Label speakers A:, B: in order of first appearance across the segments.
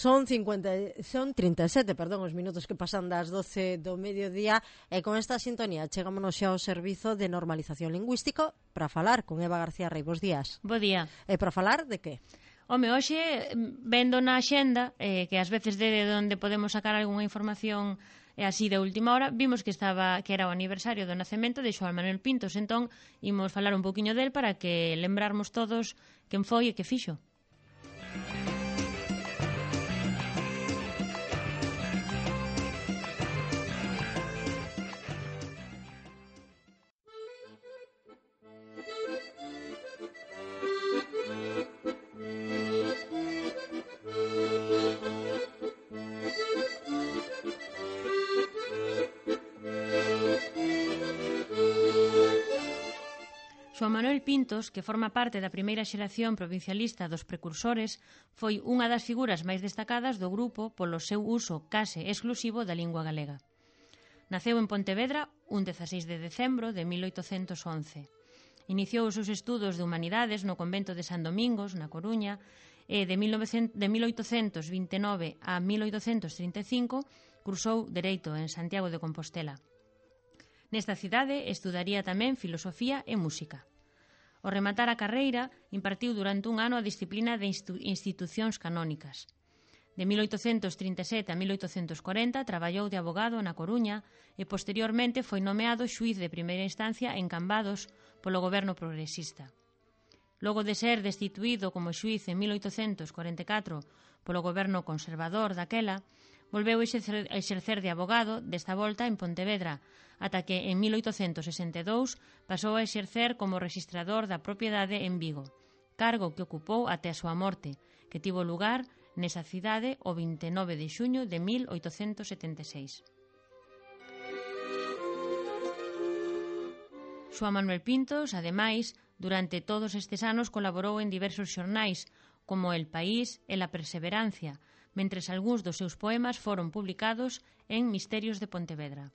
A: Son 37, os minutos que pasan das 12 do mediodía e con esta sintonía chegámonos xa ao servizo de normalización lingüístico para falar con Eva García Rei. Bos días.
B: Bo día.
A: E para falar de que?
B: Home, hoxe, vendo na xenda, que ás veces de onde podemos sacar algunha información así de última hora, vimos que era o aniversario do nacemento de Xoán Manuel Pintos, entón imos falar un poquinho del para que lembrarmos todos quen foi e que fixo. Xoán Manuel Pintos, que forma parte da primeira xeración provincialista dos precursores, foi unha das figuras máis destacadas do grupo polo seu uso case exclusivo da lingua galega. Naceu en Pontevedra un 16 de decembro de 1811. Iniciou os seus estudos de humanidades no convento de San Domingos, na Coruña, e de 1829 a 1835 cursou Dereito en Santiago de Compostela. Nesta cidade estudaría tamén filosofía e música. Ao rematar a carreira, impartiu durante un ano a disciplina de institucións canónicas. De 1837 a 1840 traballou de abogado na Coruña e posteriormente foi nomeado xuíz de primeira instancia en Cambados polo goberno progresista. Logo de ser destituído como xuíz en 1844 polo goberno conservador daquela, volveu a exercer de abogado, desta volta en Pontevedra, ata que en 1862 pasou a exercer como rexistrador da propiedade en Vigo, cargo que ocupou até a súa morte, que tivo lugar nesa cidade o 29 de xuño de 1876. Xoán Manuel Pintos, ademais, durante todos estes anos colaborou en diversos xornais, como El País e La Perseverancia, mentres algúns dos seus poemas foron publicados en Misterios de Pontevedra.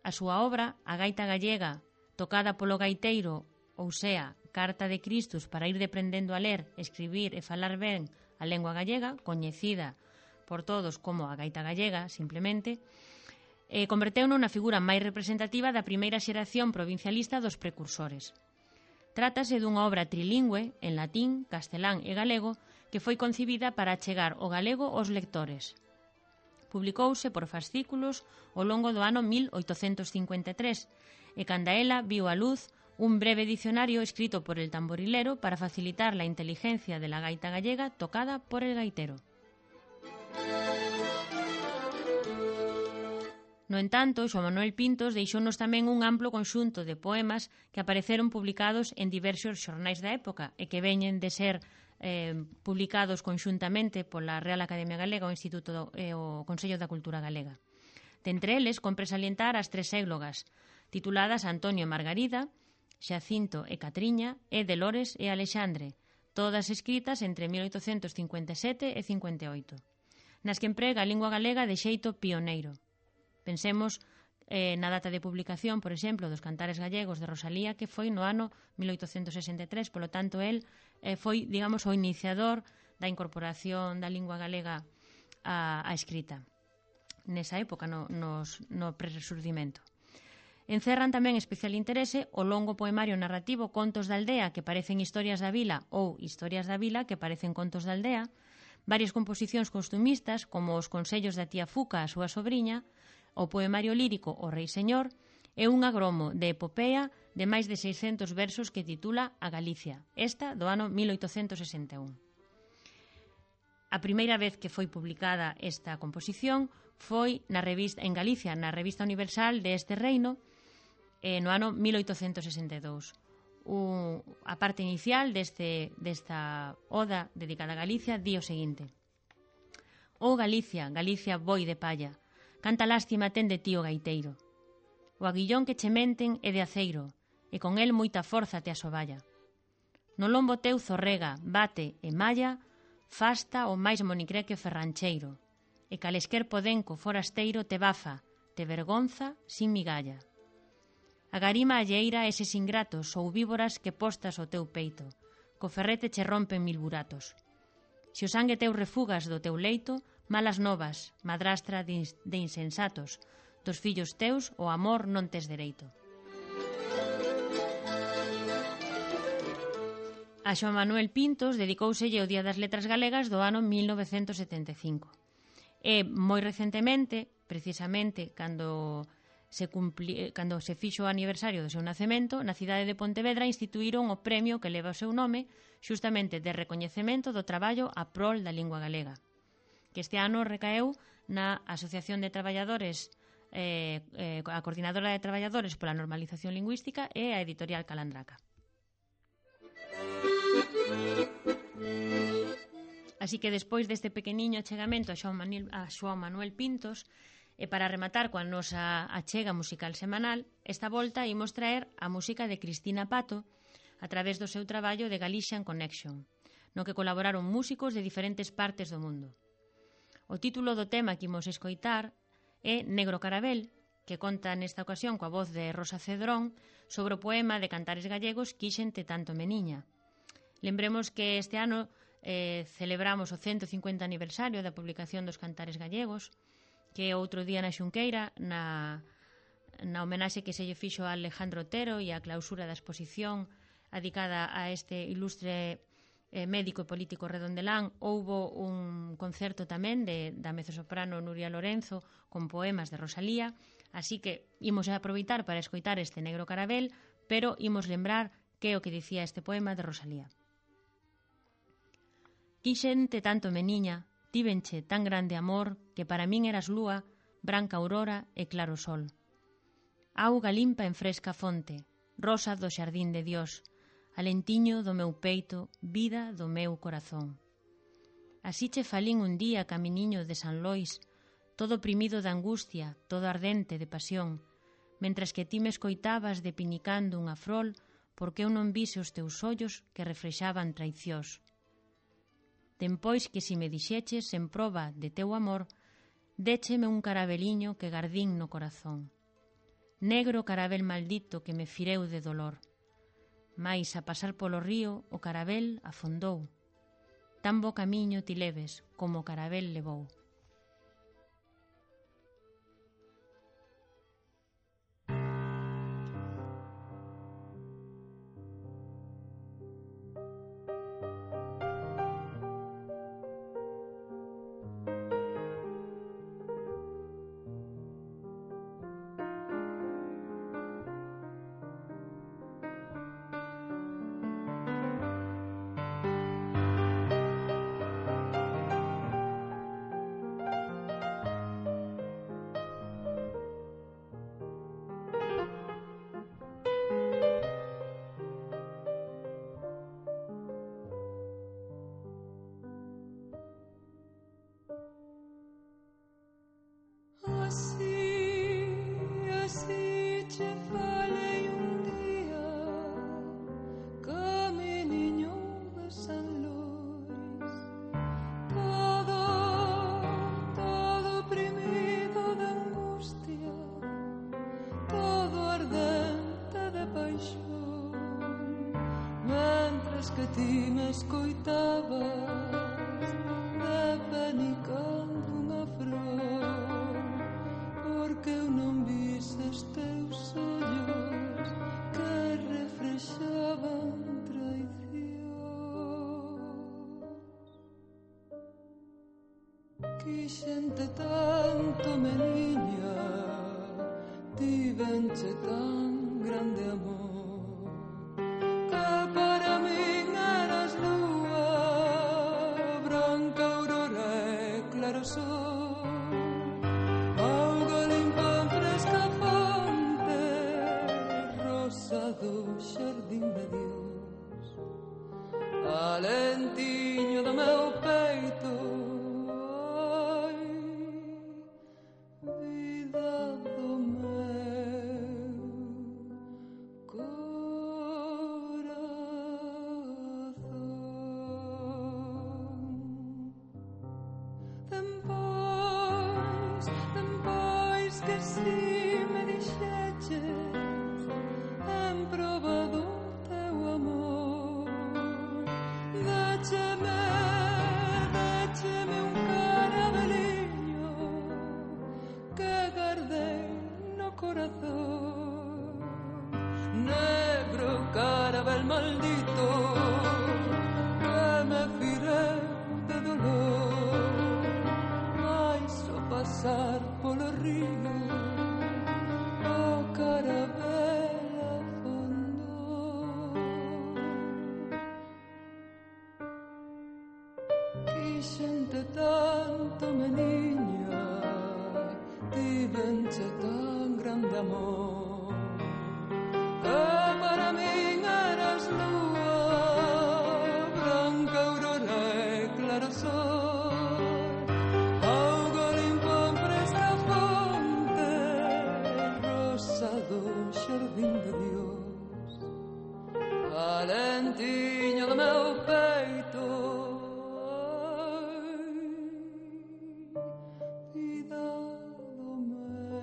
B: A súa obra, A gaita gallega, tocada polo gaiteiro, ou sea, Carta de Cristus para ir deprendendo a ler, escribir e falar ben a lengua gallega, coñecida por todos como a gaita gallega, simplemente, converteu-no na figura máis representativa da primeira xeración provincialista dos precursores. Trátase dunha obra trilingüe, en latín, castelán e galego, que foi concibida para achegar o galego aos lectores. Publicouse por fascículos ao longo do ano 1853 e canda ela viu a luz un breve dicionario escrito por el tamborilero para facilitar la inteligencia de la gaita gallega tocada por el gaitero. No entanto, Xoán Manuel Pintos deixounos tamén un amplo conxunto de poemas que apareceron publicados en diversos xornais da época e que veñen de ser publicados conxuntamente pola Real Academia Galega o Instituto o Consello da Cultura Galega. De entre eles, compre salientar as tres églogas, tituladas Antonio e Margarida, Xacinto e Catriña e Delores e Alexandre, todas escritas entre 1857 e 58, nas que emprega a lingua galega de xeito pioneiro. Pensemos na data de publicación, por exemplo, dos Cantares Gallegos de Rosalía, que foi no ano 1863, polo tanto, el foi, digamos, o iniciador da incorporación da lingua galega á escrita, nesa época, no prerresurdimento. Encerran tamén especial interese o longo poemario narrativo Contos da aldea, que parecen historias da vila, ou Historias da vila, que parecen contos da aldea, varias composicións costumistas, como os consellos da tía Fuca a súa sobriña, o poemario lírico O Rei Señor e un agromo de epopea de máis de 600 versos que titula A Galicia, esta do ano 1861. A primeira vez que foi publicada esta composición foi en Galicia, na Revista Universal de este reino, no ano 1862. A parte inicial desta oda dedicada a Galicia di o seguinte: «Oh Galicia, Galicia boi de palla, canta lástima ten de ti o gaiteiro. O aguillón que che menten é de aceiro, e con el moita forza te asoballa. No lombo teu zorrega, bate e malla, fasta o máis monicreque ferrancheiro, e calesquer podenco forasteiro te bafa, te vergonza sin migalla. Agarima alleira eses ingratos ou víboras que postas o teu peito, co ferrete che rompen mil buratos. Se o sangue teu refugas do teu leito, malas novas, madrastra de insensatos, dos fillos teus o amor non tes dereito. A Xoán Manuel Pintos dedicóuselle o Día das Letras Galegas do ano 1975. E moi recentemente, precisamente cando se fixo o aniversario do seu nacemento, na cidade de Pontevedra instituíron o premio que leva o seu nome, xustamente de recoñecemento do traballo a prol da lingua galega, que este ano recaeu na Asociación de Traballadores, a Coordinadora de Traballadores pola Normalización Lingüística e a Editorial Calandraca. Así que despois deste pequeniño achegamento a Xoán Manuel Pintos, e para rematar coa nosa achega musical semanal, esta volta imos traer a música de Cristina Pato a través do seu traballo de Galician Connection, no que colaboraron músicos de diferentes partes do mundo. O título do tema que imos escoitar é Negro Carabel, que conta nesta ocasión coa voz de Rosa Cedrón sobre o poema de Cantares Gallegos Quíxente tanto meniña. Lembremos que este ano celebramos o 150 aniversario da publicación dos Cantares Gallegos, que outro día na Xunqueira, na homenaxe que se lle fixo a Alejandro Otero e a clausura da exposición adicada a este ilustre médico e político redondelán, houbo un concerto tamén da mezzosoprano Nuria Lorenzo con poemas de Rosalía, así que imos a aproveitar para escoitar este Negro Carabel, pero imos lembrar que é o que dicía este poema de Rosalía. Quixente tanto meniña, tívenche tan grande amor que para min eras lúa, branca aurora e claro sol. Auga limpa en fresca fonte, rosa do xardín de Dios, alentiño do meu peito, vida do meu corazón. Así che falín un día caminiño de San Lois, todo oprimido de angustia, todo ardente de pasión, mentras que ti me escoitabas depinicando unha frol, porque eu non vise os teus ollos que refrexaban traicións. Dempois que si me dixeches en proba de teu amor, décheme un carabeliño que gardín no corazón. Negro carabel maldito que me fireu de dolor. Mais a pasar polo río o carabel afondou. Tan bo camiño ti leves como o carabel levou.
C: que ti me escoitabas depenicando unha flor, porque eu non vises teus ollos que refrexaban traición. Quixente tanto, meniña, tivenche tan grande amor, auga limpa en fresca fonte, rosa do xardín de Dios, alentiño do meu peito, ai, vida do meu que si me dixeches en proba do teu amor, décheme Quixente tanto, meniña, tivenche tan grande amor, que para min eras lúa, branca aurora e claro sol, auga limpa fresca fonte, rosa do xardín de Dios, alentiño do meu peito, vida do meu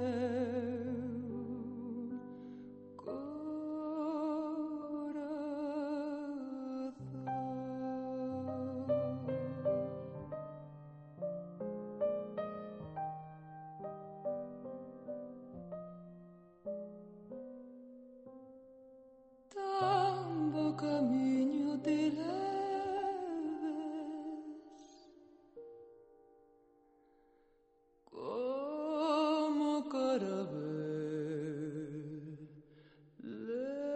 C: tan bo camiño te leves, como carabel levo.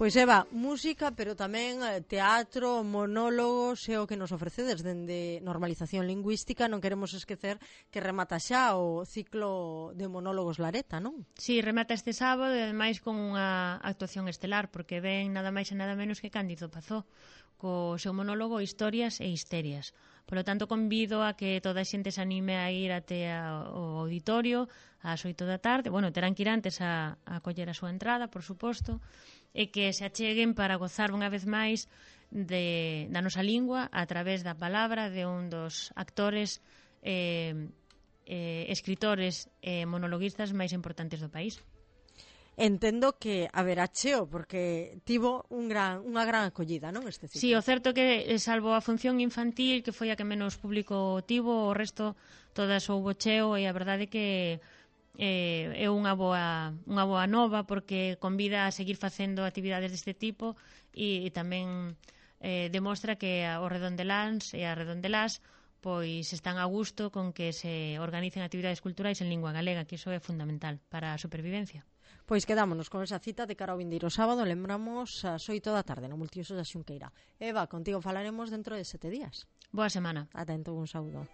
A: Pois Eva, música, pero tamén teatro, monólogos é o que nos ofrecedes dende Normalización Lingüística. Non queremos esquecer que remata xa o ciclo de monólogos Lareta, non?
B: Sí, remata este sábado e ademais con unha actuación estelar, porque ven nada máis e nada menos que Cándido Pazó co seu monólogo Historias e Histerias. Por lo tanto, convido a que toda a xente se anime a ir até ao auditorio ás 8 da tarde. Bueno, terán que ir antes a coller a súa entrada, por suposto, e que se acheguen para gozar unha vez máis da nosa lingua a través da palabra de un dos actores, escritores e monologuistas máis importantes do país.
A: Entendo que haberá cheo, porque tivo unha gran acollida, non, este ciclo?
B: Sí, o certo que, salvo a función infantil, que foi a que menos público tivo, o resto todas houbo cheo, e a verdade que é unha boa nova, porque convida a seguir facendo actividades deste tipo e tamén demostra que os redondeláns e as redondelás pois están a gusto con que se organicen actividades culturais en lingua galega, que iso é fundamental para a supervivencia.
A: Pois quedámonos con esa cita de cara ao vindeiro sábado, lembramos ás 8 da tarde no Multiusos da Xunqueira. Eva, contigo falaremos dentro de 7 días.
B: Boa semana.
A: Atento, un saúdo.